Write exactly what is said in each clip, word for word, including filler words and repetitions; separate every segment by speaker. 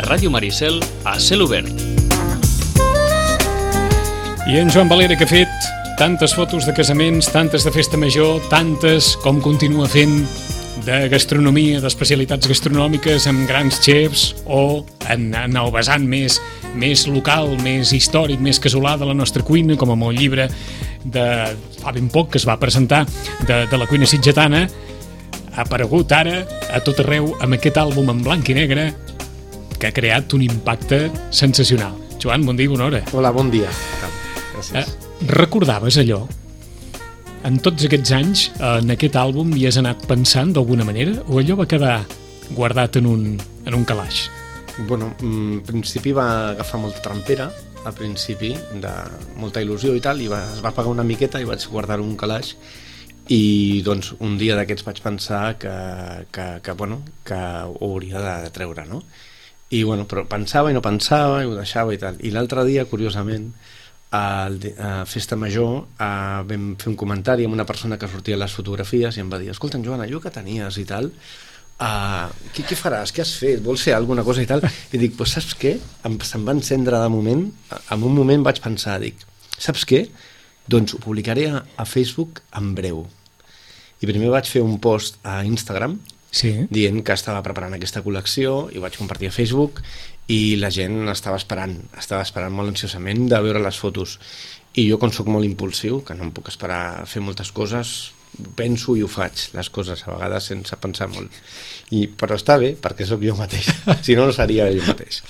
Speaker 1: Ràdio Maricel a cel obert.
Speaker 2: I en Joan Valera, que ha fet tantes fotos de casaments, tantes de festa major, tantes com continua fent de gastronomia, d'especialitats gastronòmiques amb grans xefs o en, en el vessant més, més local, més històric, més casolà de la nostra cuina, com amb el llibre de fa ben poc que es va presentar de, de la cuina sitgetana, ha aparegut ara a tot arreu amb aquest àlbum en blanc i negre que ha creat un impacte sensacional. Joan, bon dia i bona hora.
Speaker 3: Hola, bon dia. Gràcies.
Speaker 2: Eh, recordaves allò? En tots aquests anys, en aquest àlbum hi has anat pensant d'alguna manera o allò va quedar guardat en un, en un calaix?
Speaker 3: Bueno, en principi va agafar molta trampera, al principi, de molta il·lusió i tal, i va, es va pagar una miqueta i vaig guardar un calaix i doncs un dia d'aquests vaig pensar que, que, que, bueno, que ho hauria de treure, no? I bueno, però pensava i no pensava i ho deixava i tal. I l'altre dia, curiosament, a Festa Major uh, vam fer un comentari amb una persona que sortia a les fotografies i em va dir, escolta, Joan, allò que tenies i tal, uh, què, què faràs? Què has fet? Vols fer alguna cosa i tal? I dic, pues, saps què? Em, se'm va encendre de moment, en un moment vaig pensar, dic, saps què? Doncs ho publicaré a, a Facebook en breu. I primer vaig fer un post a Instagram
Speaker 2: sí.
Speaker 3: dient que estava preparant aquesta col·lecció i vaig compartir a Facebook i la gent estava esperant, estava esperant molt ansiosament de veure les fotos. I jo, com soc molt impulsiu, que no em puc esperar a fer moltes coses, penso i ho faig, les coses, a vegades sense pensar molt. I, però està bé, perquè sóc jo mateix, si no, no seria jo mateix.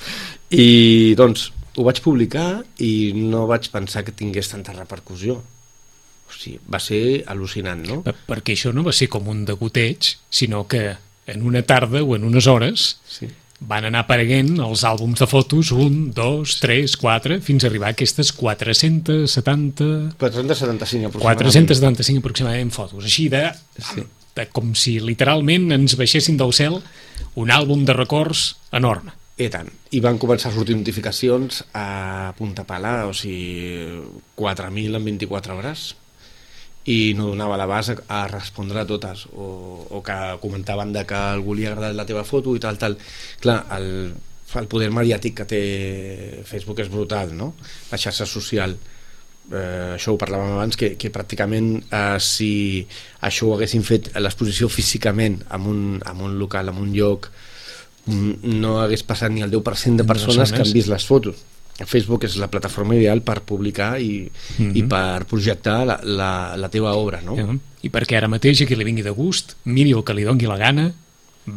Speaker 3: I doncs ho vaig publicar i no vaig pensar que tingués tanta repercussió. O sigui, va ser al·lucinant, no?
Speaker 2: Perquè això no va ser com un degoteig, sinó que en una tarda o en unes hores sí. van anar apareguent els àlbums de fotos, un, dos, tres, quatre, fins a arribar a aquestes quatre-cents setanta...
Speaker 3: quatre-cents setanta-cinc aproximadament.
Speaker 2: quatre-cents setanta-cinc aproximadament fotos, així de, sí. de com si literalment ens baixessin del cel un àlbum de records enorme.
Speaker 3: I tant. I van començar a sortir notificacions a punta pala, o sigui, quatre mil en vint-i-quatre hores. I no donava l'abast a respondre a totes o, o que comentaven de que algú li ha agradat la teva foto i tal, tal. Clar, el, el poder mediàtic que té Facebook és brutal, no? La xarxa social, eh, això ho parlàvem abans, que, que pràcticament eh, si això ho haguessin fet a l'exposició físicament en un, en un local, en un lloc, no hagués passat ni el deu per cent de persones que han vist les fotos. Facebook és la plataforma ideal per publicar i, mm-hmm. i per projectar la, la, la teva obra, no?
Speaker 2: Yeah. I perquè ara mateix a qui li vingui de gust, miri el que li doni la gana,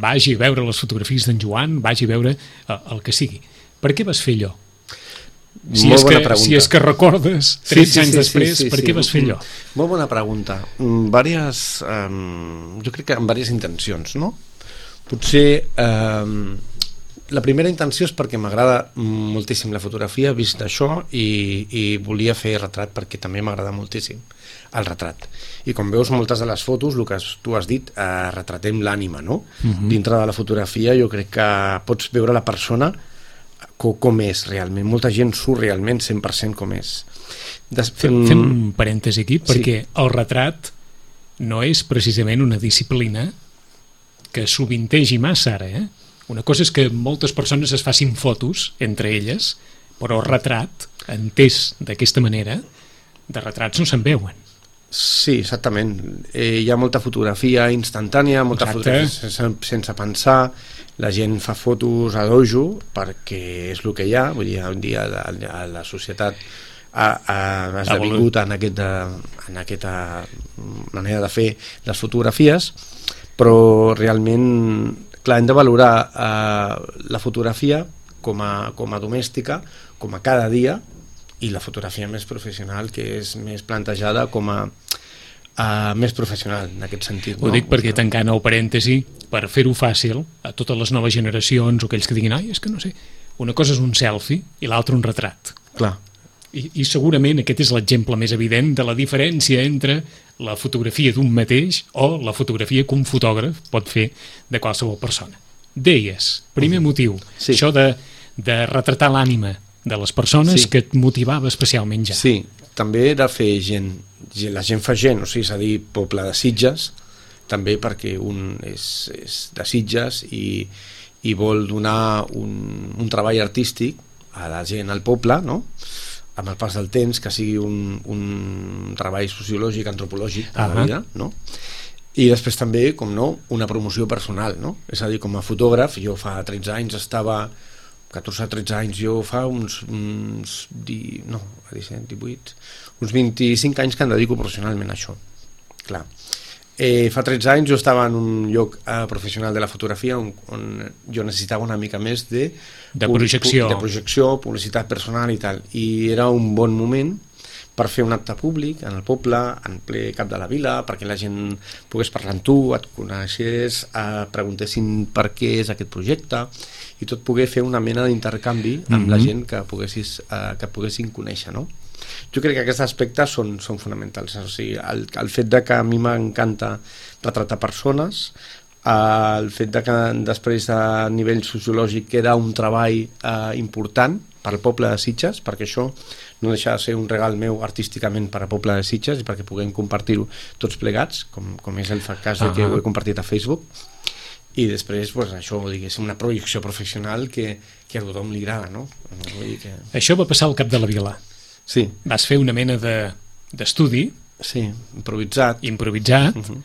Speaker 2: vagi a veure les fotografies d'en Joan, vagi a veure el, el que sigui. Per què vas fer allò? Si
Speaker 3: Molt
Speaker 2: és,
Speaker 3: bona
Speaker 2: que,
Speaker 3: pregunta.
Speaker 2: si és que recordes, tretze sí, sí, anys sí, després, sí, sí, per què sí. vas fer allò?
Speaker 3: Molt bona pregunta. Vàries, um, jo crec que amb diverses intencions, no? Potser... Um, la primera intenció és perquè m'agrada moltíssim la fotografia, he vist això i, i volia fer retrat perquè també m'agrada moltíssim el retrat. I com veus moltes de les fotos, el que tu has dit, eh, retratem l'ànima, no? Uh-huh. Dintre de la fotografia jo crec que pots veure la persona com, com és realment. Molta gent surt realment cent per cent com és.
Speaker 2: Des... Fem, fem un parèntesi aquí, perquè sí. el retrat no és precisament una disciplina que sovintegi massa ara, eh? Una cosa és que moltes persones es facin fotos entre elles, però el retrat, entès d'aquesta manera, de retrats no se'n veuen.
Speaker 3: Sí, exactament. Eh, hi ha molta fotografia instantània, molta
Speaker 2: Exacte.
Speaker 3: fotografia sense, sense pensar, la gent fa fotos a dojo perquè és el que hi ha, vull dir, un dia la, la societat ha, ha esdevingut en, aquest, en aquesta manera de fer les fotografies, però realment... Clar, hem de valorar eh, la fotografia com a, com a domèstica, com a cada dia, i la fotografia més professional, que és més plantejada com a uh, més professional, en aquest sentit.
Speaker 2: Ho
Speaker 3: no?
Speaker 2: dic perquè tancant el parèntesi, per fer-ho fàcil, a totes les noves generacions o aquells que diguin, ai, és que no sé, una cosa és un selfie i l'altra un retrat.
Speaker 3: Clar.
Speaker 2: I, I segurament aquest és l'exemple més evident de la diferència entre la fotografia d'un mateix o la fotografia que un fotògraf pot fer de qualsevol persona. Deies, primer motiu,
Speaker 3: sí.
Speaker 2: això de, de retratar l'ànima de les persones sí. que et motivava especialment ja.
Speaker 3: Sí, també de fer gent, la gent fa gent, o sigui, és a dir, poble de Sitges, també perquè un és, és de Sitges i, i vol donar un, un treball artístic a la gent, al poble, no? Amb el pas del temps, que sigui un, un treball sociològic, antropològic de la vida, no? I després també, com no, una promoció personal, no? És a dir, com a fotògraf, jo fa tretze anys estava, catorze a tretze anys, jo fa uns, uns di, no, disset, divuit, uns vint-i-cinc anys que em dedico professionalment a això, clar. Eh, fa tretze anys jo estava en un lloc eh, professional de la fotografia on, on jo necessitava una mica més de,
Speaker 2: de, projecció.
Speaker 3: de projecció, publicitat personal i tal, i era un bon moment per fer un acte públic en el poble, en ple cap de la vila, perquè la gent pogués parlar amb tu, et coneixés, eh, preguntessin per què és aquest projecte, i tot poder fer una mena d'intercanvi amb mm-hmm. la gent que poguessis, eh, que poguessin conèixer, no? Jo crec que aquests aspectes són, són fonamentals, o sigui, el, el fet de que a mi m'encanta retratar persones, el fet de que després a nivell sociològic queda un treball eh, important per al poble de Sitges, perquè això no deixa de ser un regal meu artísticament per al poble de Sitges i perquè puguem compartir-ho tots plegats, com, com és el cas de que ho he compartit a Facebook, i després pues, això, diguéssim, una projecció professional que, que a tothom li agrada, no? Vull dir que...
Speaker 2: Això va passar al Cap de la Vila.
Speaker 3: Sí.
Speaker 2: Vas fer una mena de, d'estudi.
Speaker 3: Sí, improvisat.
Speaker 2: Improvisat,
Speaker 3: uh-huh.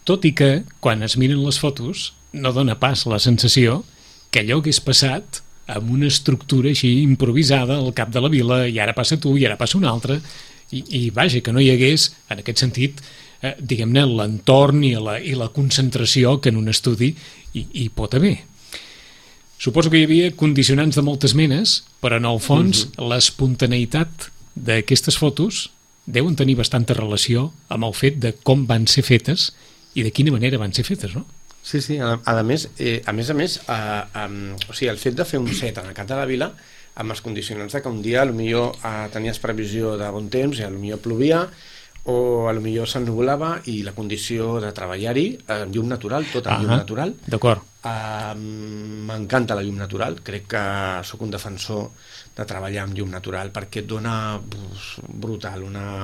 Speaker 2: tot i que, quan es miren les fotos, no dona pas la sensació que allò hagués passat amb una estructura així improvisada al Cap de la Vila, i ara passa tu, i ara passa un altre, i, i vaja, que no hi hagués, en aquest sentit, eh, diguem-ne, l'entorn i la, i la concentració que en un estudi hi, hi pot haver. Suposo que hi havia condicionants de moltes menes, però en el fons uh-huh. l'espontaneïtat d'aquestes fotos deuen tenir bastanta relació amb el fet de com van ser fetes i de quina manera van ser fetes, no?
Speaker 3: Sí, sí, a, a més, eh, a més a més, eh, um, o sigui, el fet de fer un set en el Cap de la Vila, amb els condicionants de que un dia potser eh, tenies previsió de bon temps i potser plovia, o potser s'ennuvolava i la condició de treballar-hi amb eh, llum natural, tot amb llum natural.
Speaker 2: D'acord.
Speaker 3: Uh, m'encanta la llum natural, crec que sóc un defensor de treballar amb llum natural perquè et dona buf, brutal una,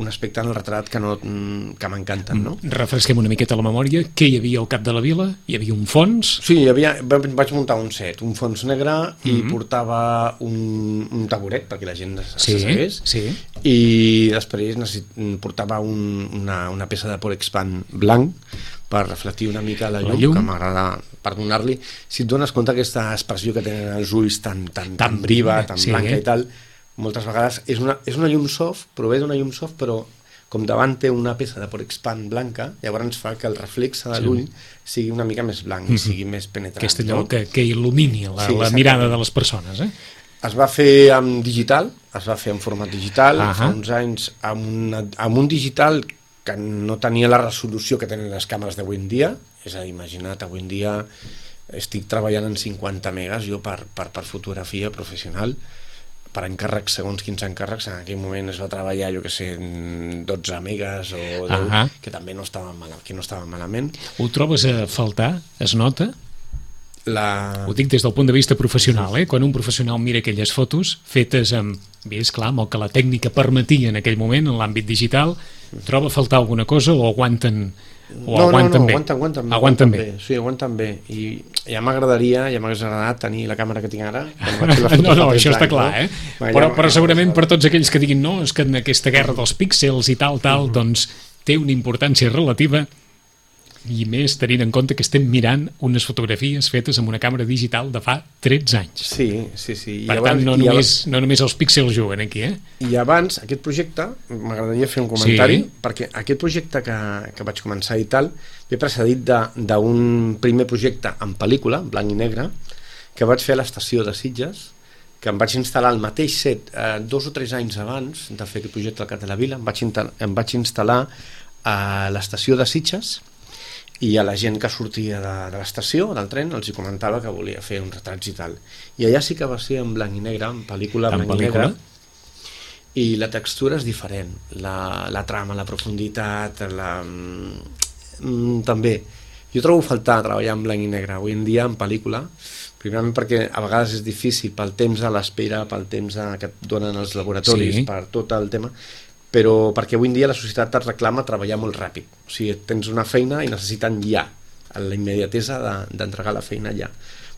Speaker 3: un aspecte en el retrat que, no, que m'encanten, no?
Speaker 2: Refresquem una miqueta la memòria. Què hi havia al Cap de la Vila? Hi havia un fons?
Speaker 3: Sí, hi havia, vaig muntar un set, un fons negre, mm-hmm. i portava un, un taburet perquè la gent
Speaker 2: sí,
Speaker 3: s'assegués,
Speaker 2: sí.
Speaker 3: i després necessit, portava un, una, una peça de Polexpan blanc per reflectir una mica la llum, la llum. que m'agrada per donar-li. Si et dones compte aquesta expressió que tenen els ulls tan, tan, tan viva, tan sí, blanca eh? i tal, moltes vegades és una, és una llum soft, prové d'una llum soft, però com davant té una peça de Polexpan blanca, llavors fa que el reflex de l'ull sí. sigui una mica més blanc, mm-hmm. i sigui més penetrant.
Speaker 2: Aquest allò no? que, que il·lumini la, sí, la mirada de les persones, eh?
Speaker 3: Es va fer amb digital, es va fer en format digital, uh-huh. fa uns anys amb, una, amb un digital que no tenia la resolució que tenen les càmeres d'avui en dia, és a dir, imagina't, avui en dia estic treballant en cinquanta megas jo per, per, per fotografia professional, per encàrrecs, segons quins encàrrecs, en aquell moment es va treballar, jo que sé, dotze megas o deu, uh-huh. que també no estava, mal, que no estava malament.
Speaker 2: Ho trobes a faltar? Es nota?
Speaker 3: La...
Speaker 2: Ho dic des del punt de vista professional, eh? Quan un professional mira aquelles fotos fetes amb, bé, esclar, amb el que la tècnica permetia en aquell moment, en l'àmbit digital, troba a faltar alguna cosa o aguanten, o
Speaker 3: no,
Speaker 2: aguanten
Speaker 3: no, no,
Speaker 2: bé?
Speaker 3: aguanten, aguanten,
Speaker 2: aguanten,
Speaker 3: aguanten
Speaker 2: bé.
Speaker 3: bé. Sí, aguanten bé. I ja m'agradaria, ja m'hagués agradat tenir la càmera que tinc ara.
Speaker 2: No, no, això està clar, eh? Però, però segurament per tots aquells que diguin no, és que en aquesta guerra dels píxels i tal, tal, doncs té una importància relativa, i més tenint en compte que estem mirant unes fotografies fetes amb una càmera digital de fa tretze anys.
Speaker 3: Sí, sí, sí. I
Speaker 2: per
Speaker 3: abans,
Speaker 2: tant, no
Speaker 3: només,
Speaker 2: només, no només els píxels juguen aquí, eh?
Speaker 3: I abans, aquest projecte, m'agradaria fer un comentari,
Speaker 2: sí.
Speaker 3: perquè aquest projecte que, que vaig començar i tal, ve precedit d'un primer projecte en pel·lícula, en blanc i negre, que vaig fer a l'estació de Sitges, que em vaig instal·lar al mateix set eh, dos o tres anys abans de fer aquest projecte al Cap de la Vila, em vaig, em vaig instal·lar a l'estació de Sitges, i a la gent que sortia de, de l'estació, del tren, els hi comentava que volia fer uns retrats i tal. I allà sí que va ser en blanc i negre, en pel·lícula en blanc pel·lícula? i negre, i la textura és diferent, la, la trama, la profunditat, la... Mm, també. Jo trobo faltar treballar en blanc i negre, avui en dia en pel·lícula, primerament perquè a vegades és difícil pel temps a l'espera, pel temps a, que et donen els laboratoris, sí. per tot el tema, però perquè avui en dia la societat et reclama treballar molt ràpid, o sigui, tens una feina i necessiten ja la immediatesa de, d'entregar la feina allà.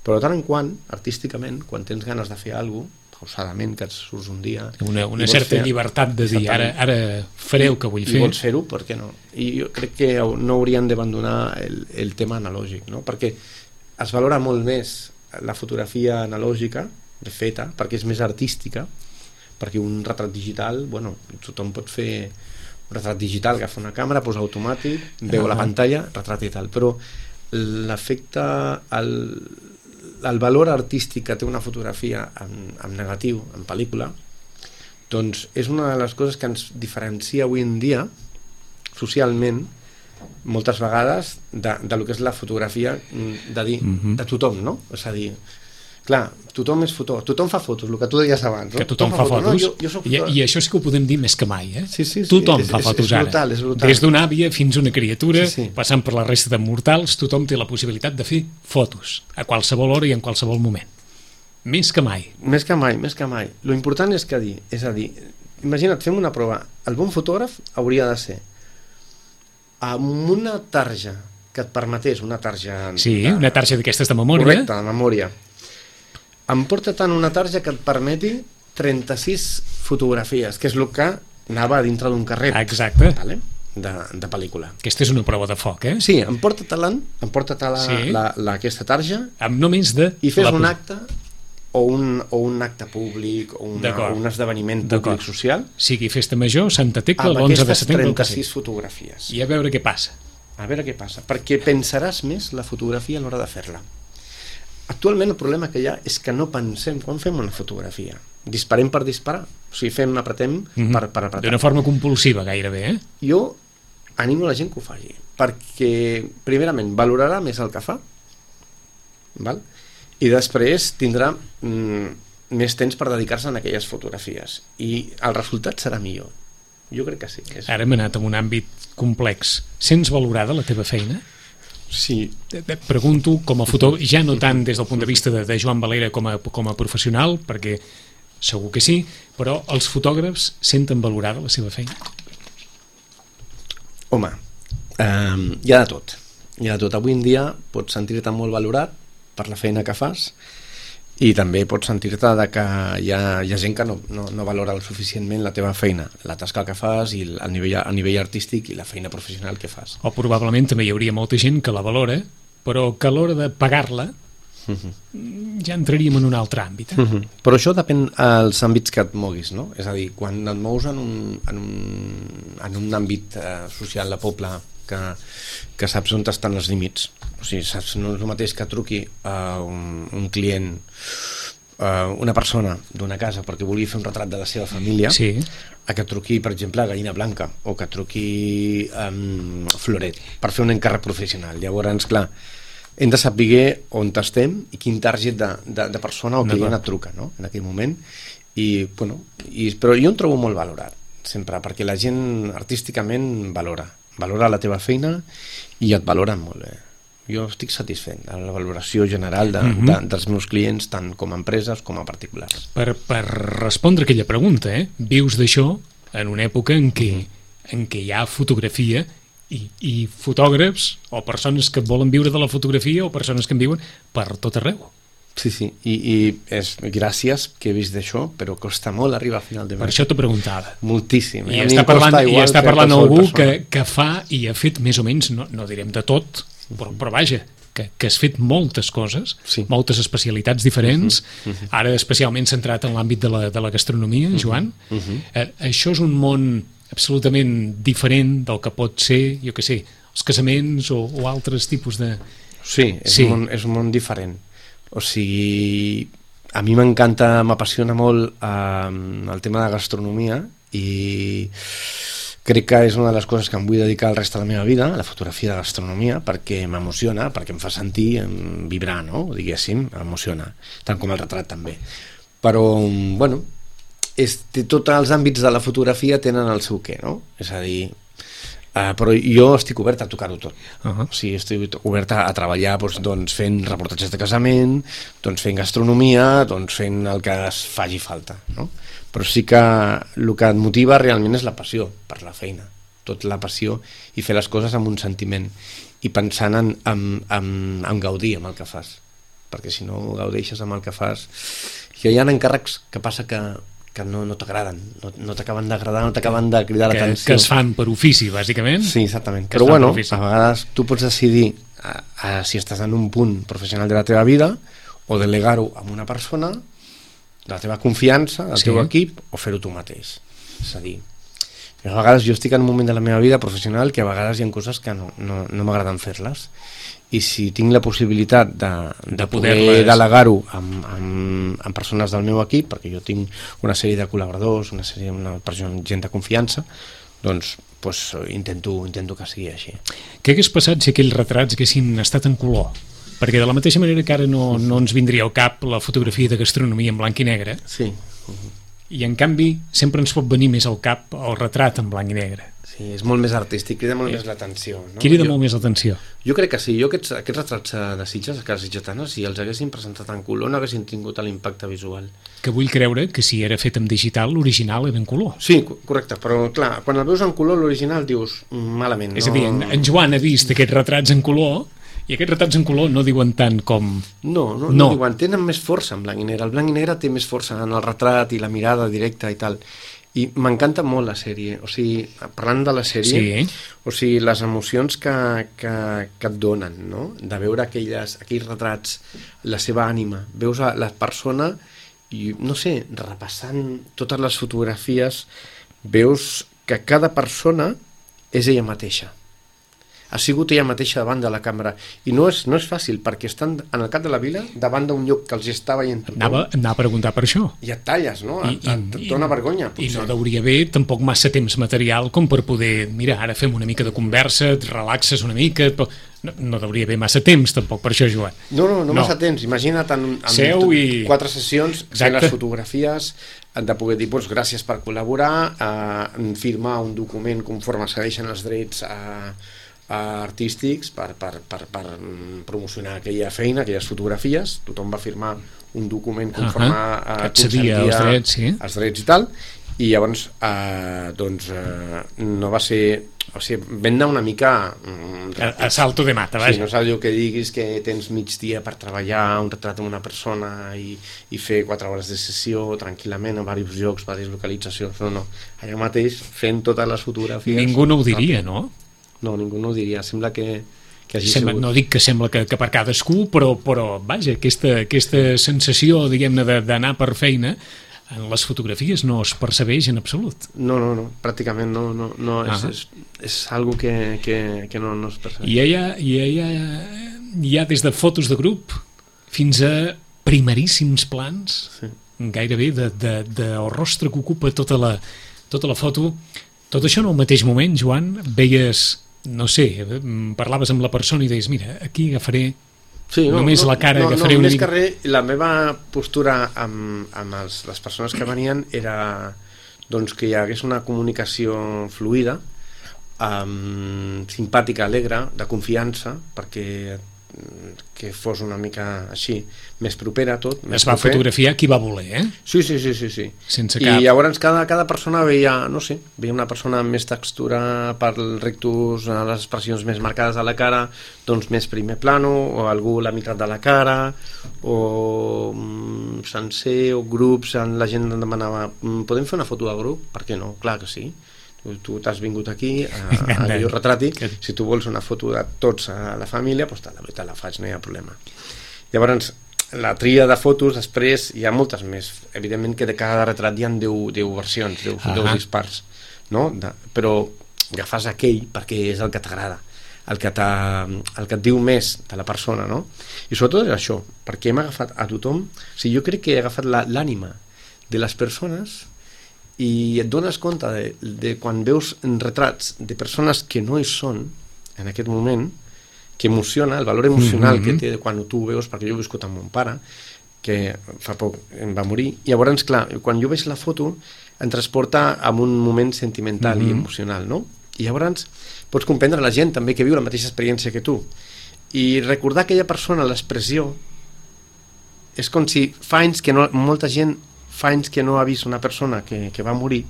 Speaker 3: Però de tant en quant, artísticament, quan tens ganes de fer alguna cosa, pausadament, que et surts un dia...
Speaker 2: Una, una certa fer... llibertat de dir, ara, ara faré el que vull fer.
Speaker 3: I vols fer-ho, per què no? I jo crec que no haurien d'abandonar el, el tema analògic, no? Perquè es valora molt més la fotografia analògica, de feta, perquè és més artística, perquè un retrat digital, bueno, tothom pot fer un retrat digital, agafa una càmera, posa automàtic, veu ah. la pantalla, retrat i tal, però l'efecte, el, el valor artístic que té una fotografia en, en negatiu, en pel·lícula, doncs és una de les coses que ens diferencia avui en dia, socialment, moltes vegades, de, de lo que és la fotografia, de dir, mm-hmm. de tothom, no? És a dir, clar, tothom és fotó, tothom fa fotos, el que tu deies abans, no?
Speaker 2: Que tothom, tothom fa, fa fotos, fotos. No, jo, jo soc I, i això sí que ho podem dir més que mai, eh?
Speaker 3: Sí, sí, sí.
Speaker 2: Tothom
Speaker 3: és,
Speaker 2: fa
Speaker 3: és,
Speaker 2: fotos
Speaker 3: és brutal,
Speaker 2: ara,
Speaker 3: és brutal.
Speaker 2: Des d'una àvia fins a una criatura,
Speaker 3: sí, sí.
Speaker 2: passant per la resta de mortals, tothom té la possibilitat de fer fotos, a qualsevol hora i en qualsevol moment. Més que mai.
Speaker 3: Més que mai, més que mai. Lo important és que dir, és a dir, imagina't, fem una prova. El bon fotògraf hauria de ser amb una tarja que et permetés, una tarja...
Speaker 2: Sí, de, una tarja d'aquestes de memòria.
Speaker 3: Correcte, de memòria. Em porta tant una tarja que et permeti trenta-sis fotografies, que és el que anava dintre d'un carrer.
Speaker 2: Exacte.
Speaker 3: Vale? De, de pel·lícula.
Speaker 2: Aquesta és una prova de foc, eh?
Speaker 3: Sí, em porta talant, em porta talant
Speaker 2: sí.
Speaker 3: la, la, aquesta tarja
Speaker 2: amb només de...
Speaker 3: i fes
Speaker 2: la...
Speaker 3: un acte o un, o un acte públic o, una, o un esdeveniment públic social.
Speaker 2: Sigui festa major, Santa Tecla, l'onze de setembre.
Speaker 3: Amb aquestes trenta-sis fotografies.
Speaker 2: I a veure què passa.
Speaker 3: A veure què passa, perquè pensaràs més la fotografia a l'hora de fer-la. Actualment el problema que hi ha és que no pensem quan fem una fotografia. Disparem per disparar, o sigui, fem, apretem mm-hmm. per, per apretar.
Speaker 2: D'una forma compulsiva gairebé, eh?
Speaker 3: Jo animo la gent que ho faci, perquè primerament valorarà més el que fa, val? I després tindrà mm, més temps per dedicar-se a aquelles fotografies i el resultat serà millor. Jo crec que sí. És...
Speaker 2: Ara hem anat en un àmbit complex. Sents valorada la teva feina?
Speaker 3: Sí.
Speaker 2: Et pregunto, com a fotògraf, ja no tant des del punt de vista de, de Joan Valera com a, com a professional, perquè segur que sí, però els fotògrafs senten valorada la seva feina?
Speaker 3: Home, eh, hi ha de tot. Hi ha de tot. Avui en dia pots sentir-te molt valorat per la feina que fas i també pots sentir-te de que hi ha, hi ha gent que no, no, no valora suficientment la teva feina, la tasca que fas i el nivell, el nivell artístic i la feina professional que fas.
Speaker 2: O probablement també hi hauria molta gent que la valora, però que a l'hora de pagar-la uh-huh. ja entraríem en un altre àmbit. Eh?
Speaker 3: Uh-huh. Però això depèn dels àmbits que et moguis, no? És a dir, quan et mous en un, en un, en un àmbit eh, social de poble que, que saps on estan els límits, o sigui, saps, no és el mateix que truqui a un, un client, a una persona d'una casa perquè vulgui fer un retrat de la seva família,
Speaker 2: sí.
Speaker 3: a que truqui, per exemple, a Gallina Blanca o que truqui a um, Floret per fer un encàrrec professional. Llavors, clar, hem de saber on estem i quin target de, de, de persona o client et truca, no? En aquell moment. I, bueno, i, però jo em trobo molt valorat, sempre, perquè la gent artísticament valora. Valora la teva feina i et valoren molt bé. Jo estic satisfet de la valoració general de, mm-hmm. de, dels meus clients, tant com a empreses com a particulars.
Speaker 2: Per, per respondre aquella pregunta, eh? Vius d'això en una època en què, mm-hmm. en què hi ha fotografia i, i fotògrafs o persones que volen viure de la fotografia o persones que en viuen per tot arreu.
Speaker 3: Sí, sí, i, i és gràcies que he vist d'això, però costa molt arribar a final de mes.
Speaker 2: Per això t'ho preguntava.
Speaker 3: Moltíssim.
Speaker 2: I està parlant, i està parlant algú que, que fa i ha fet més o menys, no, no direm de tot, però, però vaja, que, que has fet moltes coses, sí. moltes especialitats diferents, uh-huh, uh-huh. ara especialment centrat en l'àmbit de la, de la gastronomia, uh-huh, Joan. Uh-huh. Eh, això és un món absolutament diferent del que pot ser, jo què sé, els casaments o, o altres tipus de...
Speaker 3: Sí, és, sí. Un món, és un món diferent. O sigui, a mi m'encanta, m'apassiona molt eh, el tema de gastronomia i crec que és una de les coses que em vull dedicar el rest de la meva vida, la fotografia de gastronomia, perquè m'emociona, perquè em fa sentir em vibrar, no? Diguéssim, m'emociona, tant com el retrat també. Però, bueno, és, tots els àmbits de la fotografia tenen el seu què, no? És a dir... Uh, però jo estic obert a tocar-ho tot. Uh-huh. O sigui, estic obert a, a treballar doncs, doncs, fent reportatges de casament, doncs, fent gastronomia, doncs, fent el que es faci falta, no? Però sí que el que et motiva realment és la passió per la feina. tot la passió i fer les coses amb un sentiment i pensant en, en, en, en gaudir amb el que fas, perquè si no gaudeixes amb el que fas, que hi ha encàrrecs que passa que, que no, no t'agraden, no, no t'acaben d'agradar, no t'acaben de cridar
Speaker 2: que,
Speaker 3: l'atenció.
Speaker 2: Que es fan per ofici, bàsicament.
Speaker 3: Sí, exactament.
Speaker 2: Que
Speaker 3: però bueno, a vegades tu pots decidir a, a, si estàs en un punt professional de la teva vida o delegar-ho amb una persona de la teva confiança, del sí. teu equip, o fer-ho tu mateix. És a dir, a vegades jo estic en un moment de la meva vida professional que a vegades hi ha coses que no, no, no m'agraden fer-les, i si tinc la possibilitat de, de, de poder delegar-ho amb, amb, amb persones del meu equip, perquè jo tinc una sèrie de col·laboradors, una sèrie una persona, gent de confiança, doncs pues, intento, intento que sigui així.
Speaker 2: Què hagués passat si aquells retrats haguessin estat en color? Perquè de la mateixa manera que ara no, no ens vindria al cap la fotografia de gastronomia en blanc i negre,
Speaker 3: sí.
Speaker 2: i en canvi sempre ens pot venir més al cap el retrat en blanc i negre.
Speaker 3: Sí, és molt més artístic, crida molt eh, més l'atenció. No?
Speaker 2: Crida
Speaker 3: jo,
Speaker 2: molt més l'atenció.
Speaker 3: Jo crec que sí, jo aquests, aquests retrats de Sitges, de Casa Sitgetana, si els haguessin presentat en color no haguessin tingut l'impacte visual.
Speaker 2: Que vull creure que si era fet en digital, l'original era en color.
Speaker 3: Sí, correcte, però clar, quan el veus en color l'original dius malament.
Speaker 2: És
Speaker 3: no...
Speaker 2: a dir, en, en Joan ha vist aquests retrats en color i aquests retrats en color no diuen tant com...
Speaker 3: No, no, no, no diuen, tenen més força en blanc i negre. El blanc i negre té més força en el retrat i la mirada directa i tal. I m'encanta molt la sèrie, o sigui, parlant de la sèrie,
Speaker 2: sí.
Speaker 3: o sigui, les emocions que, que, que et donen, no? De veure aquelles, aquells retrats, la seva ànima, veus a la persona i, no sé, repassant totes les fotografies, veus que cada persona és ella mateixa. Ha sigut ella mateixa davant de la càmera i no és, no és fàcil perquè estan en el cap de la vila davant d'un lloc que els està veient tothom.
Speaker 2: Anava, anava a preguntar per això.
Speaker 3: I et talles, no?
Speaker 2: I,
Speaker 3: et, et, et dona vergonya, potser.
Speaker 2: I no hauria haver tampoc massa temps material com per poder, mira, ara fem una mica de conversa, et relaxes una mica, però no, no hauria haver massa temps tampoc per això, Joan.
Speaker 3: No, no, no, no. Massa temps. Imagina't en, en
Speaker 2: Seu i...
Speaker 3: quatre sessions, fer les fotografies, han de poder dir, doncs, gràcies per col·laborar, eh, firmar un document conforme segueixen els drets a eh, artístics per, per, per, per promocionar aquella feina, aquelles fotografies. Tothom va firmar un document conforme uh-huh. a, a
Speaker 2: consentia els drets, sí.
Speaker 3: els drets i tal, i llavors eh, doncs eh, no va ser, o sigui, vam anar una mica
Speaker 2: a, a salto de mata, vaja.
Speaker 3: Sí, no és allò que diguis que tens mig dia per treballar un retrat amb una persona i, i fer quatre hores de sessió tranquil·lament a diversos llocs, diverses localitzacions. No, no, allà mateix fent totes les fotografies.
Speaker 2: Ningú no ho diria, no?
Speaker 3: No, ningú no ho diria, sembla que, que hagi
Speaker 2: sembla,
Speaker 3: sigut...
Speaker 2: No dic que sembla que, que per cadascú, però, però vaja, aquesta, aquesta sensació, diguem-ne, d'anar per feina, en les fotografies no es percebeix en absolut.
Speaker 3: No, no, no, pràcticament no, no, no uh -huh. és, és, és algo que, que, que no, no es percebeix.
Speaker 2: I hi ha, hi, ha, hi ha des de fotos de grup fins a primeríssims plans, sí. gairebé de, de, de el rostre que ocupa tota la, tota la foto. Tot això en el mateix moment, Joan, veies... no sé, parlaves amb la persona i deies, mira, aquí agafaré sí, no, només no, la cara,
Speaker 3: no,
Speaker 2: agafaré
Speaker 3: no,
Speaker 2: una
Speaker 3: més
Speaker 2: mica...
Speaker 3: que res, la meva postura amb, amb els, les persones que venien era doncs, que hi hagués una comunicació fluida, um, simpàtica, alegre, de confiança, perquè que fos una mica així, més propera tot. Més
Speaker 2: es va
Speaker 3: proper.
Speaker 2: Fotografiar qui va voler, eh?
Speaker 3: Sí, sí, sí, sí, sí.
Speaker 2: Sense
Speaker 3: I
Speaker 2: cap...
Speaker 3: llavors cada, cada persona veia, no sé, veia una persona amb més textura per rectus, les expressions més marcades a la cara, doncs més primer plano, o algú la meitat de la cara, o mm, sencer, o grups, la gent em demanava, podem fer una foto de grup? Per què no? Clar que sí. Tu t'has vingut aquí a, a que jo retrati, si tu vols una foto de tots a la família, doncs te la, te la faig, no hi ha problema. Llavors, la tria de fotos, després hi ha moltes més. Evidentment que de cada retrat hi ha deu, deu versions, deu, uh-huh. deu dispars, no? De, però agafes aquell perquè és el que t'agrada, el que, el que et diu més de la persona, no? I sobretot és això, perquè hem agafat a tothom, o sigui, jo crec que he agafat l'ànima de les persones i et dones compte de, de quan veus retrats de persones que no hi són en aquest moment, que emociona, el valor emocional mm-hmm. que té quan tu ho veus, perquè jo he viscut amb mon pare que fa poc em va morir, i llavors clar, quan jo veig la foto em transporta a un moment sentimental mm-hmm. i emocional, no? I llavors pots comprendre la gent també que viu la mateixa experiència que tu, i recordar aquella persona, l'expressió és com si fa anys que no, molta gent fa anys que no ha vist una persona que, que va morir,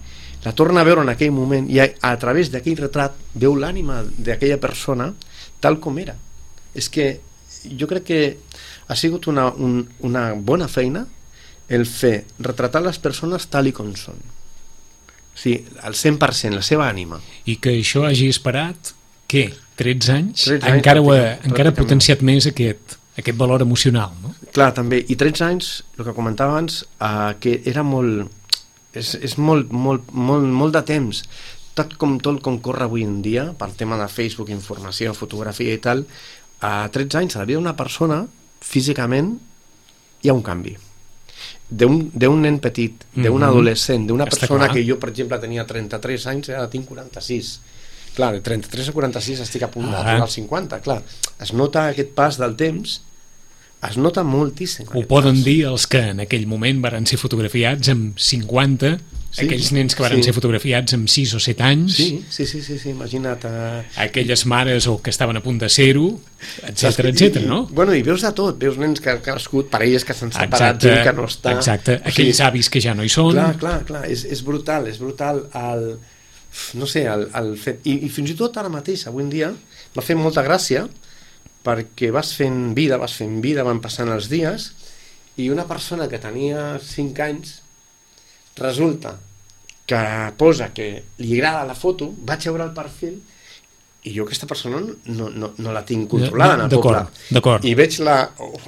Speaker 3: la torna a veure en aquell moment i a, a través d'aquell retrat veu l'ànima d'aquella persona tal com era. És que jo crec que ha sigut una, un, una bona feina el fer retratar les persones tal i com són. O sigui, al cent per cent, la seva ànima.
Speaker 2: I que això hagi esperat, què? tretze anys?
Speaker 3: tretze anys
Speaker 2: encara, ho ha,
Speaker 3: pràcticament.
Speaker 2: encara ha potenciat més aquest, aquest valor emocional, no?
Speaker 3: Clar, també. I tretze anys, el que comentava abans, eh, que era molt... És, és molt, molt, molt, molt de temps. Tot com, tot com corre avui en dia, per tema de Facebook, informació, fotografia i tal, a tretze anys, a la vida d'una persona, físicament, hi ha un canvi. D'un nen petit, d'un mm-hmm. adolescent, d'una persona clar. Que jo, per exemple, tenia trenta-tres anys, ara tinc quaranta-sis. Clar, de trenta-tres a quaranta-sis estic a punt ah. d'arribar als cinquanta, clar. Es nota aquest pas del temps, es nota moltíssim.
Speaker 2: Ho poden pas. Dir els que en aquell moment varen ser fotografiats amb cinquanta, sí, aquells nens que varen sí. ser fotografiats amb sis o set anys.
Speaker 3: Sí, sí, sí, sí, sí imagina't. Uh...
Speaker 2: Aquelles mares o que estaven a punt de ser-ho, etcètera, etcètera, no?
Speaker 3: Bueno, i veus de tot, veus nens que han crescut, parelles que s'han separat, gent que no està...
Speaker 2: Exacte, aquells sí. avis que ja no hi són...
Speaker 3: Clar, clar, clar, és, és brutal, és brutal el... No sé, el, el fet... I, I fins i tot ara mateix, avui en dia, m'ha fet molta gràcia perquè vas fent vida, vas fent vida, van passant els dies, i una persona que tenia cinc anys resulta que posa que li agrada la foto, vaig veure el perfil i jo aquesta persona no, no, no la tinc controlada en el poble.
Speaker 2: D'acord.
Speaker 3: I veig la...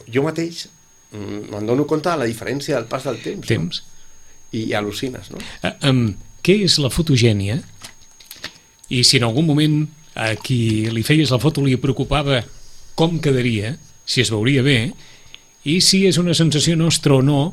Speaker 3: Jo mateix me'n dono compte de la diferència del pas del temps.
Speaker 2: Temps.
Speaker 3: No? I, i al·lucines, no?
Speaker 2: Uh, um, què és la fotogènia? I si en algun moment a qui li feies la foto li preocupava com quedaria, si es veuria bé, i si és una sensació nostra o no,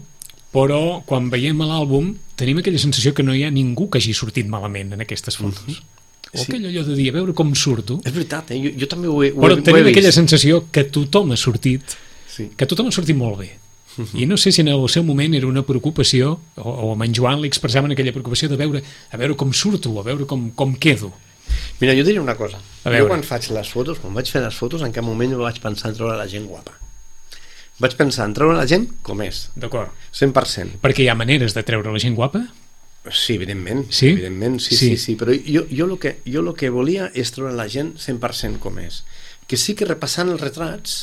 Speaker 2: però quan veiem l'àlbum tenim aquella sensació que no hi ha ningú que hagi sortit malament en aquestes fotos. Mm-hmm. O sí. Aquell allò de dir, a veure com surto.
Speaker 3: És veritat, eh? jo, jo també ho he, ho
Speaker 2: però
Speaker 3: he,
Speaker 2: tenim
Speaker 3: ho he
Speaker 2: aquella
Speaker 3: vist.
Speaker 2: sensació que tothom ha sortit,
Speaker 3: sí.
Speaker 2: que tothom ha sortit molt bé. Mm-hmm. I no sé si en el seu moment era una preocupació, o, o amb en Joan li expressaven aquella preocupació de veure, a veure com surto, a veure com, com quedo.
Speaker 3: Mira, jo diré una cosa.
Speaker 2: Jo
Speaker 3: quan faig les fotos, quan vaig fer les fotos, en cap moment vaig pensar en treure la gent guapa. Vaig pensar en treure la gent com és.
Speaker 2: D'acord.
Speaker 3: cent per cent.
Speaker 2: Perquè hi ha maneres de treure la gent guapa?
Speaker 3: Sí, evidentment.
Speaker 2: Sí?
Speaker 3: Evidentment, sí, sí, sí, sí. Però jo, jo, el que, jo el que volia és treure la gent cent per cent com és. Que sí que repassant els retrats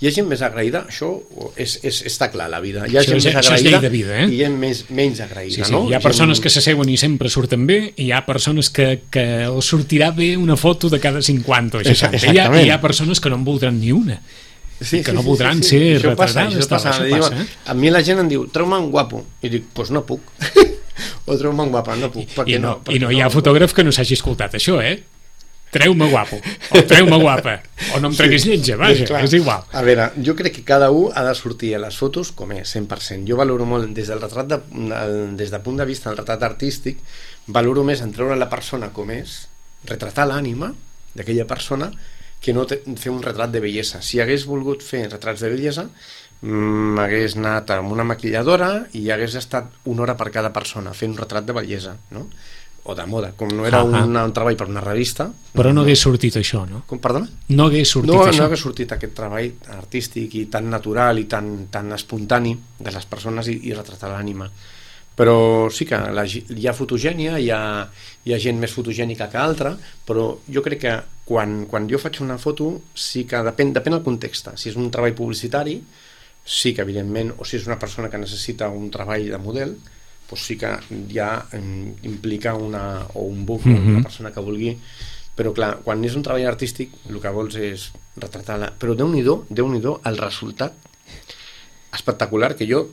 Speaker 3: hi ha gent més agraïda, això és, és, està clar, la vida. Hi ha
Speaker 2: això,
Speaker 3: gent més
Speaker 2: agraïda
Speaker 3: és llei
Speaker 2: de vida, eh?
Speaker 3: I hi ha més, menys agraïda,
Speaker 2: sí, sí.
Speaker 3: no?
Speaker 2: Hi ha persones gent... que s'asseuen i sempre surten bé, i hi ha persones que, que els sortirà bé una foto de cada cinquanta o seixanta. I hi, ha, hi ha persones que no en voldran ni una. Sí, que
Speaker 3: sí,
Speaker 2: no voldran
Speaker 3: sí, sí, sí.
Speaker 2: ser
Speaker 3: això
Speaker 2: retratades.
Speaker 3: Passa, això passa.
Speaker 2: Això passa,
Speaker 3: diu,
Speaker 2: eh?
Speaker 3: A mi la gent em diu, treu-me un guapo. I dic, doncs pues no puc. O treu-me un guapa, no puc.
Speaker 2: I no,
Speaker 3: no,
Speaker 2: i no hi ha no, fotògraf que no s'hagi escoltat això, eh? Treu-me guapo, o treu-me guapa, o no em treguis sí, lletja, vaja, és, és igual.
Speaker 3: A veure, jo crec que cada un ha de sortir a les fotos com és, cent per cent. Jo valoro molt, des del retrat de, des del punt de vista del retrat artístic, valoro més en treure la persona com és, retratar l'ànima d'aquella persona, que no te, fer un retrat de bellesa. Si hagués volgut fer retrats de bellesa, m'hagués anat amb una maquilladora i hagués estat una hora per cada persona fent un retrat de bellesa, no? O de moda, com no era ah, un, un treball per una revista.
Speaker 2: Però no hagués sortit això, no?
Speaker 3: Com, perdona?
Speaker 2: No hagués sortit
Speaker 3: no,
Speaker 2: això.
Speaker 3: No hagués sortit aquest treball artístic i tan natural i tan, tan espontani de les persones i, i retratar l'ànima. Però sí que la, hi ha fotogènia, hi ha, hi ha gent més fotogènica que altra, però jo crec que quan, quan jo faig una foto sí que depèn, depèn del context. Si és un treball publicitari, sí que evidentment, o si és una persona que necessita un treball de model, doncs sí que ja implica una, o un book, mm-hmm. una persona que vulgui, però clar, quan és un treball artístic el que vols és retratar-la, però Déu-n'hi-do, Déu-n'hi-do el resultat espectacular, que jo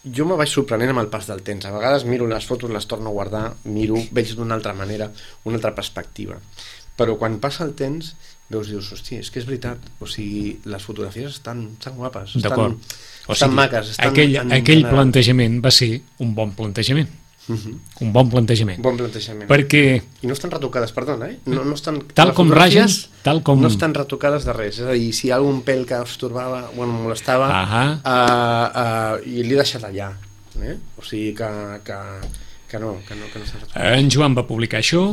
Speaker 3: jo me vaig sorprenent amb el pas del temps. A vegades miro les fotos, les torno a guardar, miro, veig d'una altra manera, una altra perspectiva, però quan passa el temps veus, dius, hòstia, és que és veritat, o sigui, les fotografies estan, estan guapes, estan, o estan sigui, maques, estan
Speaker 2: aquell,
Speaker 3: en,
Speaker 2: aquell
Speaker 3: en,
Speaker 2: plantejament va ser un bon plantejament. Uh-huh. Un bon plantejament.
Speaker 3: Bon plantejament.
Speaker 2: Perquè...
Speaker 3: I no estan retocades, perdona, eh? No, no estan,
Speaker 2: tal com ragen, tal com...
Speaker 3: no estan retocades de res, és a dir, si hi ha algun pèl que us torbava, bueno, molestava, uh-huh. uh, uh, i l'he deixat allà, eh? O sigui que, que, que no, que no, que no estan retocades.
Speaker 2: En Joan va publicar això,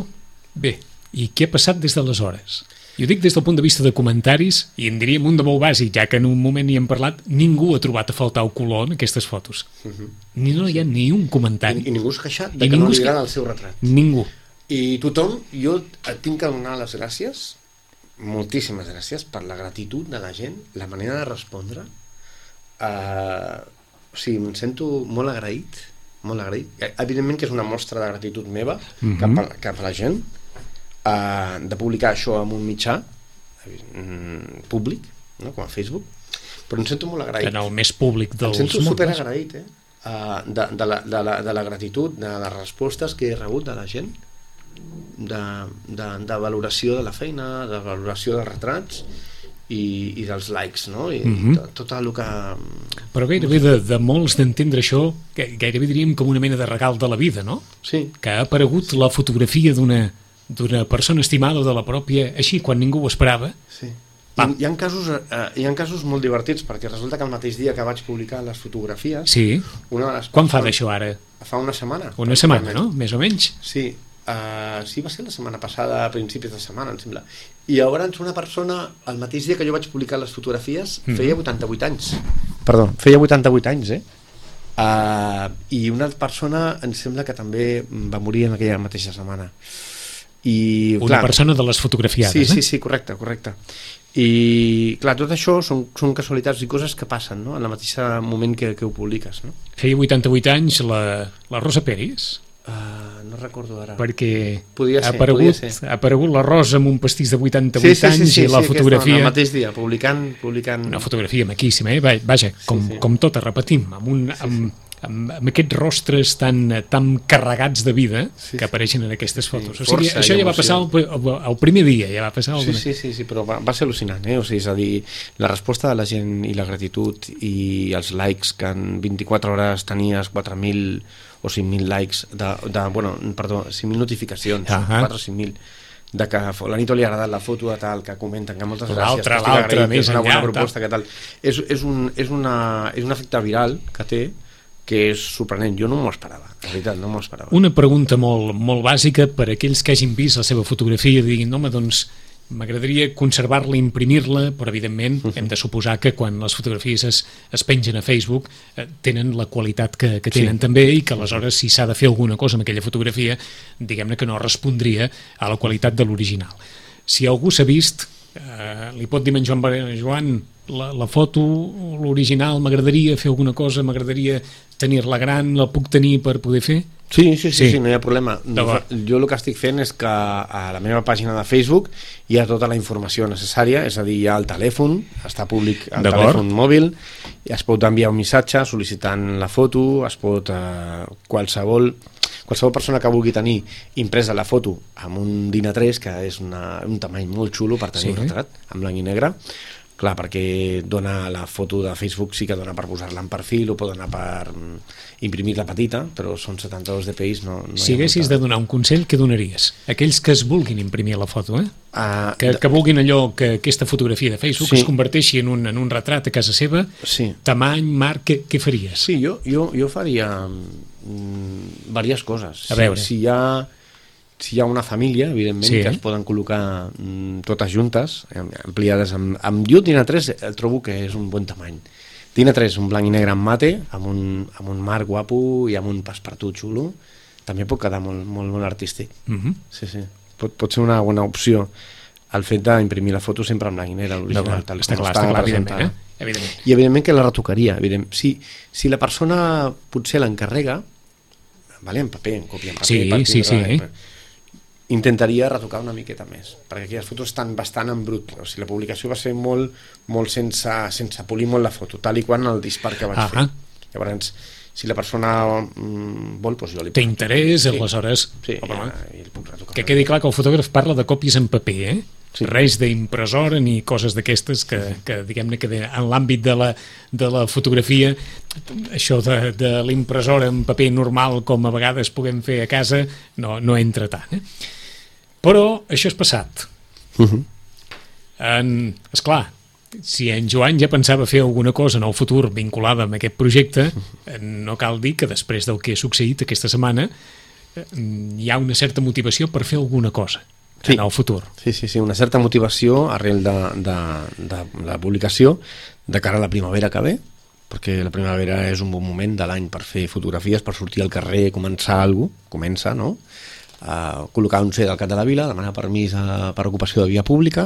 Speaker 2: bé, i què ha passat des d'aleshores? Jo dic des del punt de vista de comentaris, i en diríem un de molt bàsic, ja que en un moment hi hem parlat, ningú ha trobat a faltar el color en aquestes fotos. Uh-huh. Ni no hi ha ni un comentari.
Speaker 3: I, i ningú s'ha queixat de I que no li agrada el seu retrat.
Speaker 2: Ningú.
Speaker 3: I tothom, jo et tinc que donar les gràcies, moltíssimes gràcies, per la gratitud de la gent, la manera de respondre. Uh, o sigui, em sento molt agraït, molt agraït. Evidentment que és una mostra de gratitud meva uh-huh. cap, a, cap a la gent, Uh, de publicar això en un mitjà mm, públic, no? Com a Facebook, però em sento molt agraït.
Speaker 2: En el més públic dels
Speaker 3: em sento super agraït eh? uh, de, de, la, de, la, de la gratitud, de les respostes que he rebut de la gent, de, de, de valoració de la feina, de valoració dels retrats i, i dels likes, no? I, uh-huh. i tot, tot el que...
Speaker 2: Però gairebé de, de molts d'entendre això, gairebé diríem com una mena de regal de la vida, no?
Speaker 3: Sí.
Speaker 2: Que ha aparegut la fotografia d'una d'una persona estimada o de la pròpia, així, quan ningú ho esperava.
Speaker 3: Sí. Hi, hi, ha casos, eh, hi ha casos molt divertits, perquè resulta que el mateix dia que vaig publicar les fotografies...
Speaker 2: Sí.
Speaker 3: Una de les
Speaker 2: Quan fa d'això ara?
Speaker 3: Fa una setmana.
Speaker 2: Una setmana, no? Més o menys.
Speaker 3: Sí. Uh, sí, va ser la setmana passada, a principis de setmana, em sembla. I llavors una persona, el mateix dia que jo vaig publicar les fotografies, mm. feia vuitanta-vuit anys. Perdó, feia vuitanta-vuit anys, eh? Uh, I una persona, em sembla que també va morir en aquella mateixa setmana. I,
Speaker 2: una
Speaker 3: clar,
Speaker 2: persona de les fotografiades,
Speaker 3: sí,
Speaker 2: eh?
Speaker 3: Sí, sí, correcte, correcte. I, clar, tot això són, són casualitats i coses que passen, no?, en el mateix moment que, que ho publiques, no?
Speaker 2: Feia vuitanta-vuit anys la, la Rosa Peris?
Speaker 3: Uh, no recordo ara.
Speaker 2: Perquè
Speaker 3: podia
Speaker 2: ha,
Speaker 3: ser,
Speaker 2: aparegut,
Speaker 3: podia ser.
Speaker 2: ha aparegut la Rosa amb un pastís de vuitanta-vuit
Speaker 3: sí, sí,
Speaker 2: anys
Speaker 3: sí, sí,
Speaker 2: i la
Speaker 3: sí,
Speaker 2: fotografia...
Speaker 3: El mateix dia, publicant... publicant...
Speaker 2: Una fotografia maquíssima, eh? Vaja, com, sí, sí. com tota, repetim, amb un...
Speaker 3: Sí,
Speaker 2: amb,
Speaker 3: sí.
Speaker 2: Amb, amb aquests rostres tan, tan carregats de vida sí, que apareixen en aquestes fotos. Sí, o sigui, això ja va passar el, el primer dia, ja va passar el...
Speaker 3: Sí, sí, sí, sí, però va, va ser al·lucinant, eh? O sigui, és a dir, la resposta de la gent i la gratitud i els likes, que en vint-i-quatre hores tenies quatre mil o cinc mil likes, de, de, bueno, perdó, cinc mil notificacions, uh -huh. quatre o cinc mil, de que a l'Anito li ha agradat la foto de tal, que comenten que moltes gràcies, que estic agraït, que és una bona proposta, que tal. És, és, un, és, una, és un efecte viral que té, que és sorprenent, jo no m'ho esperava, la veritat, no m'ho esperava.
Speaker 2: Una pregunta molt, molt bàsica per a aquells que hagin vist la seva fotografia i diguin, home, doncs m'agradaria conservar-la, imprimir-la, però evidentment uh-huh. hem de suposar que quan les fotografies es, es pengen a Facebook eh, tenen la qualitat que, que tenen sí. també, i que aleshores si s'ha de fer alguna cosa amb aquella fotografia, diguem-ne que no respondria a la qualitat de l'original. Si algú s'ha vist, eh, li pot dir a en Joan Valera, Joan, la, la foto, l'original, m'agradaria fer alguna cosa, m'agradaria tenir-la gran, la puc tenir per poder fer?
Speaker 3: Sí, sí, sí, sí, sí, no hi ha problema. Jo el que estic fent és que a la meva pàgina de Facebook hi ha tota la informació necessària, és a dir, hi ha el telèfon, està públic el telèfon mòbil, i es pot enviar un missatge sol·licitant la foto, es pot eh, qualsevol qualsevol persona que vulgui tenir impresa la foto amb un DIN A tres, que és una, un tamany molt xulo per tenir sí. un retrat, en blanc i negre, clar, perquè dona la foto de Facebook, sí que dona per posar-la en perfil, o pot donar per imprimir-la petita, però són setanta-dos D P Is, no, no
Speaker 2: si haguessis molta... de donar un consell, què donaries? Aquells que es vulguin imprimir la foto, eh? Uh, que, de... que vulguin allò, que aquesta fotografia de Facebook sí. es converteixi en un, en un retrat a casa seva, sí. tamany, marc, què, què faries?
Speaker 3: Sí, jo, jo, jo faria mm, diverses coses.
Speaker 2: A veure.
Speaker 3: Si, si hi ha... Si hi ha una família, evidentment, sí, eh? que es poden col·locar mm, totes juntes, ampliades amb... Amb jo DIN A tres el trobo que és un bon tamany. DIN A tres, un blanc i negre en mate, amb un, amb un marc guapo i amb un passepartout xulo, també pot quedar molt, molt, molt artístic. Uh-huh. Sí, sí. Pot, pot ser una bona opció el fet d'imprimir la foto sempre en blanc i negre, l'original,
Speaker 2: no, tal està clar, està clar, evidentment, eh? evidentment.
Speaker 3: I evidentment que la retocaria. Evident. Si, si la persona potser l'encarrega, vale, en paper, en còpia en paper,
Speaker 2: sí,
Speaker 3: paper,
Speaker 2: sí, sí, eh?
Speaker 3: intentaria retocar una miqueta més, perquè aquelles fotos estan bastant en brut, o sigui, la publicació va ser molt, molt sense, sense polir molt la foto, tal i quan el dispar que vaig
Speaker 2: uh-huh.
Speaker 3: fer. Llavors, si la persona mm, vol, doncs jo li puc...
Speaker 2: Té interès, sí. aleshores...
Speaker 3: Sí, ja, i puc retocar.
Speaker 2: Que quedi clar que el fotògraf parla de còpies en paper, eh? Sí. Res d'impressora ni coses d'aquestes que, que diguem-ne que en l'àmbit de la, de la fotografia, això de, de l'impressora en paper normal, com a vegades puguem fer a casa, no, no entra tant, eh? Però això és passat.
Speaker 3: Uh-huh.
Speaker 2: En, esclar, si en Joan ja pensava fer alguna cosa en el futur vinculada amb aquest projecte, no cal dir que després del que ha succeït aquesta setmana hi ha una certa motivació per fer alguna cosa. sí. en el futur.
Speaker 3: Sí, sí, sí, una certa motivació arrel de, de, de la publicació de cara a la primavera que ve, perquè la primavera és un bon moment de l'any per fer fotografies, per sortir al carrer, començar alguna cosa, comença, no? Uh, col·locar un C D al cap de la vila, demanar permís a, per ocupació de via pública,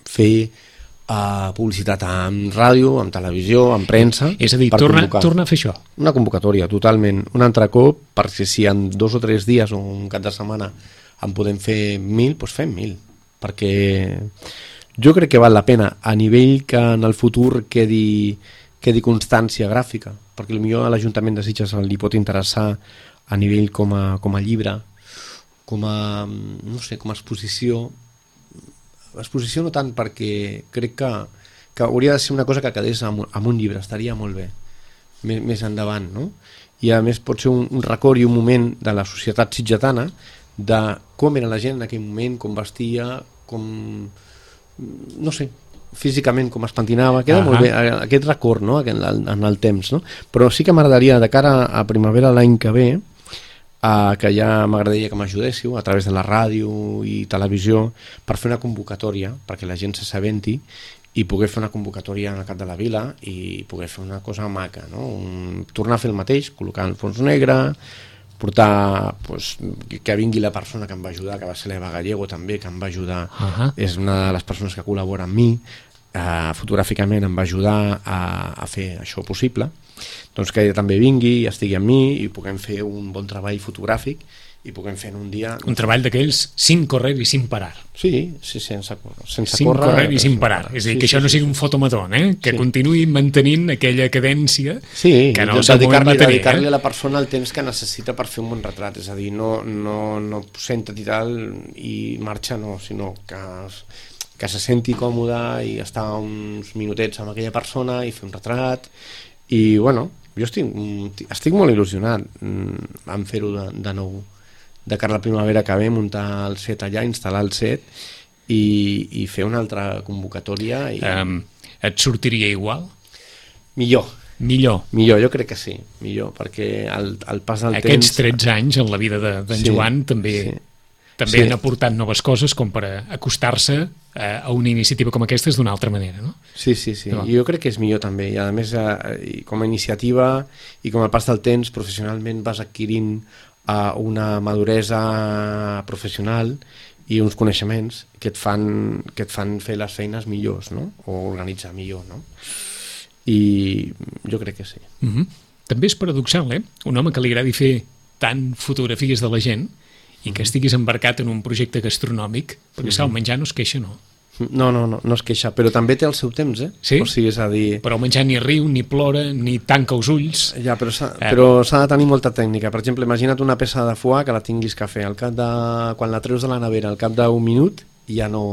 Speaker 3: fer uh, publicitat en ràdio, en televisió, en premsa...
Speaker 2: És a dir, tornar torna a fer això.
Speaker 3: Una convocatòria, totalment. Un altre cop, perquè si en dos o tres dies o un cap de setmana en podem fer mil, doncs fem mil. Perquè jo crec que val la pena, a nivell que en el futur quedi, quedi constància gràfica, perquè potser a l'Ajuntament de Sitges li pot interessar a nivell com a, com a llibre, com a, no sé, com a exposició. Exposició no tant, perquè crec que, que hauria de ser una cosa que quedés amb, amb un llibre, estaria molt bé, més, més endavant, no? I a més pot ser un, un record i un moment de la societat sitgetana de com era la gent en aquell moment, com vestia, com, no sé, físicament com es pentinava, queda uh-huh. molt bé aquest record, no? en, el, en el temps, no? Però sí que m'agradaria, de cara a primavera l'any que ve, Uh, que ja m'agradaria que m'ajudéssiu a través de la ràdio i televisió per fer una convocatòria, perquè la gent s'assabenti i poder fer una convocatòria al cap de la vila i poder fer una cosa maca, no? Un, tornar a fer el mateix, col·locar el fons negre, portar, pues, que vingui la persona que em va ajudar, que va ser l'Eva Gallego també, que em va ajudar, uh-huh. és una de les persones que col·labora amb mi, uh, fotogràficament em va ajudar a, a fer això possible. Doncs que ella també vingui, estigui amb mi i puguem fer un bon treball fotogràfic i puguem fer en un dia...
Speaker 2: Un treball d'aquells sin correr i sin parar.
Speaker 3: Sí, sí, sense, sense
Speaker 2: sin
Speaker 3: córrer...
Speaker 2: Sin correr i sin parar. És a dir, sí, que això sí, no sigui sí, un fotomatón, eh? Que sí. continuï mantenint aquella cadència
Speaker 3: sí,
Speaker 2: que en el
Speaker 3: seu moment va tenir.
Speaker 2: Dedicar-li
Speaker 3: eh? a la persona el temps que necessita per fer un bon retrat. És a dir, no, no, no senta-t'hi tal i marxa, no, sinó que... que se senti còmode i estar uns minutets amb aquella persona i fer un retrat. I, bueno, jo estic, estic molt il·lusionat en fer-ho de, de nou. De cara a la primavera que ve, muntar el set allà, instal·lar el set i, i fer una altra convocatòria. I...
Speaker 2: Um, et sortiria igual?
Speaker 3: Millor.
Speaker 2: Millor?
Speaker 3: Millor, jo crec que sí. Millor, perquè el, el pas del
Speaker 2: Aquests
Speaker 3: temps...
Speaker 2: tretze anys en la vida d'en de, sí, Joan també... Sí. També sí. han aportat noves coses com per acostar-se a una iniciativa com aquesta d'una altra manera, no?
Speaker 3: Sí, sí, sí. No. I jo crec que és millor també. I a més, eh, com a iniciativa i com a pas del temps, professionalment vas adquirint eh, una maduresa professional i uns coneixements que et fan, que et fan fer les feines millors, no? O organitzar millor, no? I jo crec que sí.
Speaker 2: Mm-hmm. També és paradoxal, eh? Un home que li agradi fer tant fotografies de la gent i que estiguis embarcat en un projecte gastronòmic, perquè mm-hmm. el menjar no es queixa, no?
Speaker 3: No, no, no, no es queixa, però també té el seu temps, eh?
Speaker 2: Sí?
Speaker 3: O sigui, és a dir...
Speaker 2: Però el menjar ni riu, ni plora, ni tanca els ulls...
Speaker 3: Ja, però s'ha eh. però s'ha de tenir molta tècnica. Per exemple, imagina't una peça de foie que la tinguis que fer. Al cap de... Quan la treus de la nevera, al cap d'un minut, ja no...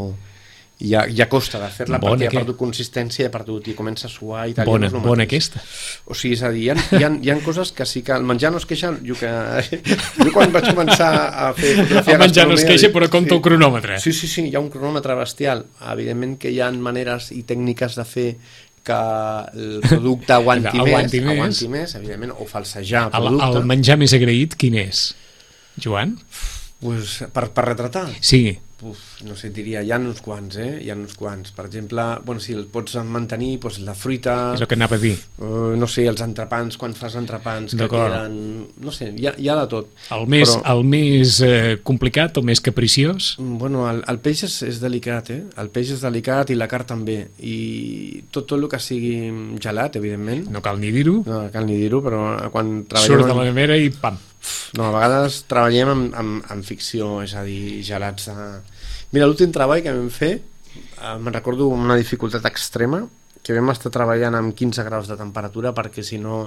Speaker 3: Ja, ja costa de fer-la
Speaker 2: bona
Speaker 3: perquè
Speaker 2: que...
Speaker 3: ha perdut consistència, ha perdut i comença a suar i tal.
Speaker 2: Bona,
Speaker 3: no
Speaker 2: bona aquesta.
Speaker 3: O sigui, és a dir, hi ha, hi, ha, hi ha coses que sí que el menjar no es queixa. Jo, que, jo quan vaig començar a fer fotografia
Speaker 2: el menjar no es queixa, però compta sí, el cronòmetre.
Speaker 3: Sí, sí, sí, hi ha un cronòmetre bestial. Evidentment que hi ha maneres i tècniques de fer que el producte aguanti,
Speaker 2: aguanti
Speaker 3: més,
Speaker 2: més,
Speaker 3: aguanti més, evidentment, o falsejar el
Speaker 2: el,
Speaker 3: producte.
Speaker 2: El menjar més agraït quin és, Joan?
Speaker 3: Pues, per, per retratar?
Speaker 2: Sí.
Speaker 3: Uf, no sé, diria, hi ha uns quants, eh? Hi ha uns quants. Per exemple, bueno, si el pots mantenir, doncs la fruita...
Speaker 2: És el que anava a dir.
Speaker 3: Uh, no sé, els entrepans, quan fas entrepans, que queden... No sé, hi ha, hi ha de tot.
Speaker 2: El més, Però, el més eh, complicat, el més capriciós?
Speaker 3: Bueno, el, el peix és, és delicat, eh? El peix és delicat i la carn també. I tot, tot el que sigui gelat, evidentment.
Speaker 2: No cal ni dir-ho.
Speaker 3: No cal ni dir-ho, però quan treballem...
Speaker 2: Surt de la nevera i pam!
Speaker 3: No, a vegades treballem amb, amb, amb ficció, és a dir, gelats de... Mira, l'últim treball que vam fer, eh, me'n recordo una dificultat extrema, que vam estar treballant amb quinze graus de temperatura perquè si no...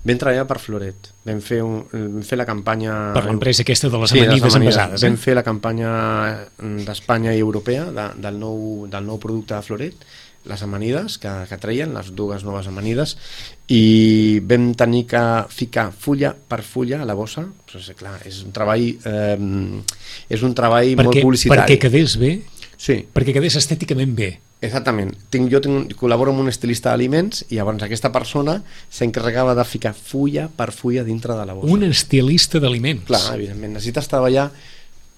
Speaker 3: Vam treballar per Floret, vam fer, un, vam fer la campanya...
Speaker 2: Per l'empresa aquesta de les
Speaker 3: sí,
Speaker 2: amanides envasades.
Speaker 3: Eh? Vam fer la campanya d'Espanya i europea de, del, nou, del nou producte de Floret, les amanides que, que treien, les dues noves amanides, i vam tenir que ficar fulla per fulla a la bossa. Pues, clar, és un treball eh, és un treball perquè, molt publicitari.
Speaker 2: Perquè quedés bé?
Speaker 3: Sí.
Speaker 2: Perquè quedés estèticament bé.
Speaker 3: Exactament. Tinc, jo tinc, col·laboro amb un estilista d'aliments i llavors aquesta persona s'encarregava de ficar fulla per fulla dintre de la bossa.
Speaker 2: Un estilista d'aliments?
Speaker 3: Clar, evidentment. Necessites treballar...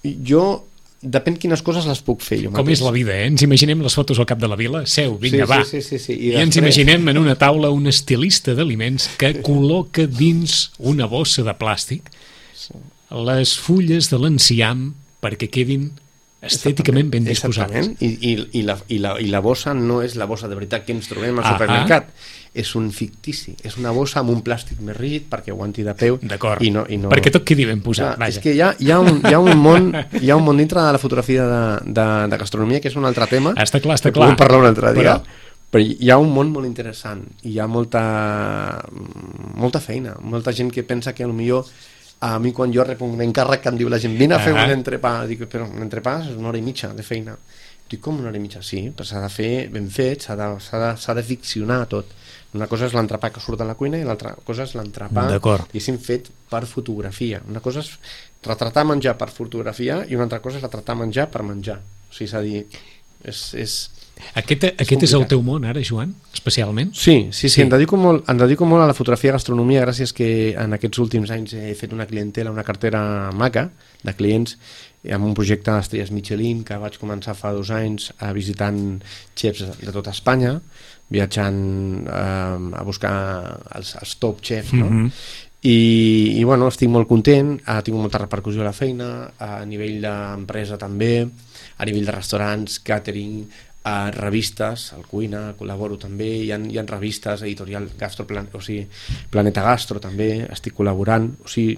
Speaker 3: Jo depèn quines coses les puc fer jo mateix.
Speaker 2: Com és la vida, eh? Ens imaginem les fotos al cap de la vila, seu, vinga,
Speaker 3: sí,
Speaker 2: va.
Speaker 3: Sí, sí, sí, sí.
Speaker 2: I, I ens imaginem en una taula un estilista d'aliments que col·loca dins una bossa de plàstic les fulles de l'enciam perquè quedin estèticament ben disposades.
Speaker 3: I, i, i, la, i, la, I la bossa no és la bossa de veritat que ens trobem al
Speaker 2: ah,
Speaker 3: supermercat. Ah. És un fictici. És una bossa amb un plàstic més rígid perquè aguanti de peu.
Speaker 2: D'acord.
Speaker 3: I no, i no...
Speaker 2: Perquè tot quedi ben posat.
Speaker 3: Clar, és que hi ha, hi, ha un, hi, ha un món, hi ha un món dintre de la fotografia de, de, de gastronomia que és un altre tema.
Speaker 2: Està clar, està
Speaker 3: que
Speaker 2: clar.
Speaker 3: Podem parlar un altre dia.
Speaker 2: Però...
Speaker 3: Però hi ha un món molt interessant. Hi ha molta, molta feina. Molta gent que pensa que potser a mi quan jo rep un encàrrec que em diu la gent vine a fer uh -huh. un entrepà, dic, però un entrepà és una hora i mitja de feina. Dic, com una hora i mitja? Sí, però s'ha de fer ben fet, s'ha de, de, de ficcionar tot. Una cosa és l'entrepà que surt a la cuina i l'altra cosa és l'entrepà diguéssim fet per fotografia. Una cosa és retratar menjar per fotografia i una altra cosa és retratar menjar per menjar. O sigui, és a dir, és... és
Speaker 2: Aquest, és, aquest és el teu món ara, Joan, especialment?
Speaker 3: Sí, sí, sí, sí. Em, dedico molt, em dedico molt a la fotografia i gastronomia gràcies que en aquests últims anys he fet una clientela, una cartera maca de clients amb un projecte d'Estrelles Michelin que vaig començar fa dos anys a visitant xefs de tota Espanya, viatjant eh, a buscar els, els top xefs, no? Mm-hmm. I, i bueno, estic molt content, ha tingut molta repercussió a la feina, a nivell d'empresa també, a nivell de restaurants, catering, a revistes, al Cuina col·laboro també, hi ha, hi ha revistes, editorial Gastroplan, o sigui, Planeta Gastro també, estic col·laborant, o sigui,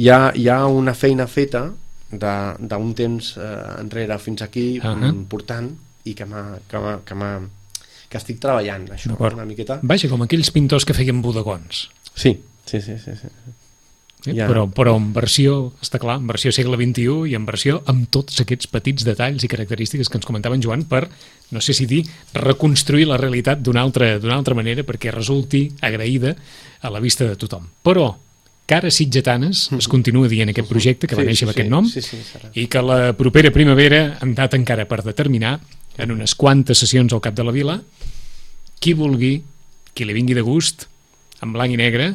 Speaker 3: hi ha, hi ha una feina feta d'un temps eh, enrere fins aquí uh -huh. important i que m'ha que, que, que estic treballant això una miqueta.
Speaker 2: Vaja, com aquells pintors que feien bodegons.
Speaker 3: Sí, sí, sí, sí, sí.
Speaker 2: Eh? Ja. Però, però en versió, està clar, en versió segle vint-i-u i en versió amb tots aquests petits detalls i característiques que ens comentava en Joan per, no sé si dir, reconstruir la realitat d'una altra, d'una altra manera perquè resulti agraïda a la vista de tothom. Però Cares Sitgetanes es continua dient aquest projecte que va néixer amb
Speaker 3: sí,
Speaker 2: aquest nom
Speaker 3: sí, sí, sí,
Speaker 2: i que la propera primavera hem dat encara per determinar en unes quantes sessions al cap de la vila qui vulgui, qui li vingui de gust, en blanc i negre,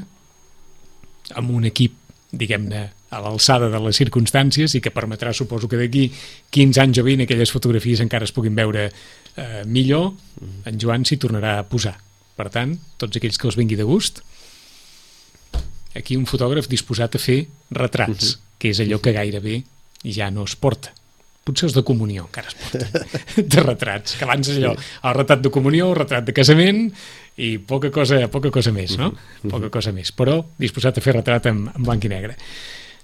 Speaker 2: amb un equip, diguem-ne, a l'alçada de les circumstàncies i que permetrà, suposo que d'aquí quinze anys o vint aquelles fotografies encara es puguin veure eh, millor, en Joan s'hi tornarà a posar. Per tant, tots aquells que els vingui de gust, aquí un fotògraf disposat a fer retrats, que és allò que gairebé ja no es porta. Potser els de comunió encara es porta, de retrats, que abans és allò, el retrat de comunió, el retrat de casament i poca cosa, poca cosa més, no? Poca cosa més, però disposat a fer retrat en, en blanc i negre.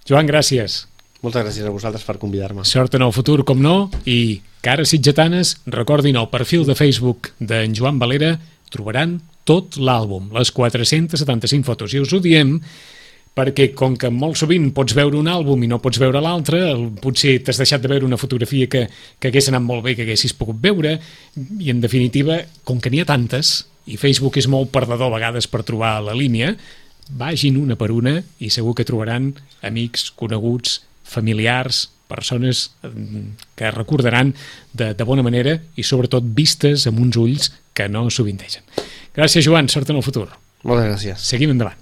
Speaker 2: Joan, gràcies.
Speaker 3: Moltes gràcies a vosaltres per convidar-me.
Speaker 2: Sort en el futur, com no, i Cares Sitgetanes, recordin el perfil de Facebook d'en Joan Valera, trobaran tot l'àlbum, les quatre-centes setanta-cinc fotos, i us ho diem perquè com que molt sovint pots veure un àlbum i no pots veure l'altre, potser t'has deixat de veure una fotografia que, que hagués anat molt bé, que haguessis pogut veure, i en definitiva, com que n'hi ha tantes, i Facebook és molt perdedor a vegades per trobar la línia, vagin una per una i segur que trobaran amics, coneguts, familiars, persones que recordaran de, de bona manera i sobretot vistes amb uns ulls que no sovintegen. Gràcies, Joan, sort en el futur.
Speaker 3: Moltes gràcies.
Speaker 2: Seguim endavant.